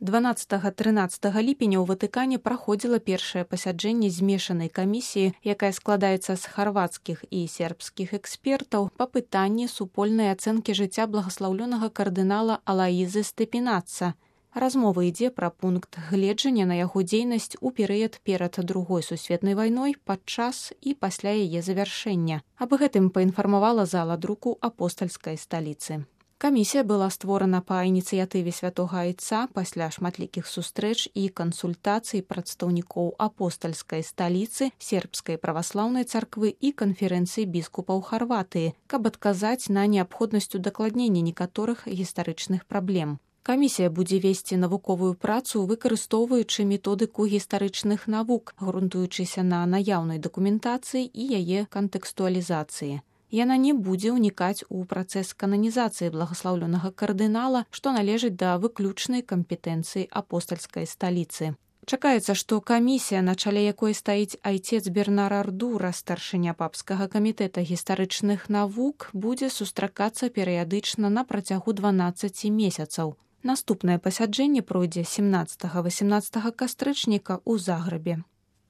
12-13 ліпеня ў Ватыкане праходзіла першае пасяджэнне змешанай камісіі, якая складаецца з харвацкіх і сербскіх экспертаў па пытанні супольнай ацэнкі жыцця благаслаўлёнага кардынала Алаізы Степінаца. Размова ідзе пра пункт гледжання на яго дзейнасць у перыяд перад Другой сусветнай вайной, падчас і пасля яе завяршэння. Аб гэтым паінфармавала зала друку апостальскай сталіцы. Камісія была створана па ініцыятыве святога айца пасля шматлікіх сустрэч і кансультацый прадстаўнікоў апостальскай сталіцы, сербскай праваслаўнай царквы і канферэнцыі біскупаў Харватыі, каб адказаць на неабходнасць удакладнення некаторых гістарычных праблем. Камісія будзе весці навуковую працу, выкарыстоўваючы методыку гістарычных навук, грунтуючыся на наяўнай дакументацыі і яе кантэкстуалізацыі. Яна не будзе ўнікаць у працэс кананізацыі благаслаўлёнага кардынала, што належыць да выключнай кампетэнцыі апостальскай сталіцы. Чакаецца, што камісія, на чале якой стаіць айцец Бернар Ардура, старшыня папскага камітэта гістарычных навук, будзе сустракацца перыядычна на працягу 12 месяцаў. Наступнае пасяджэнне пройдзе 17-18 кастрычніка ў Загрэбе.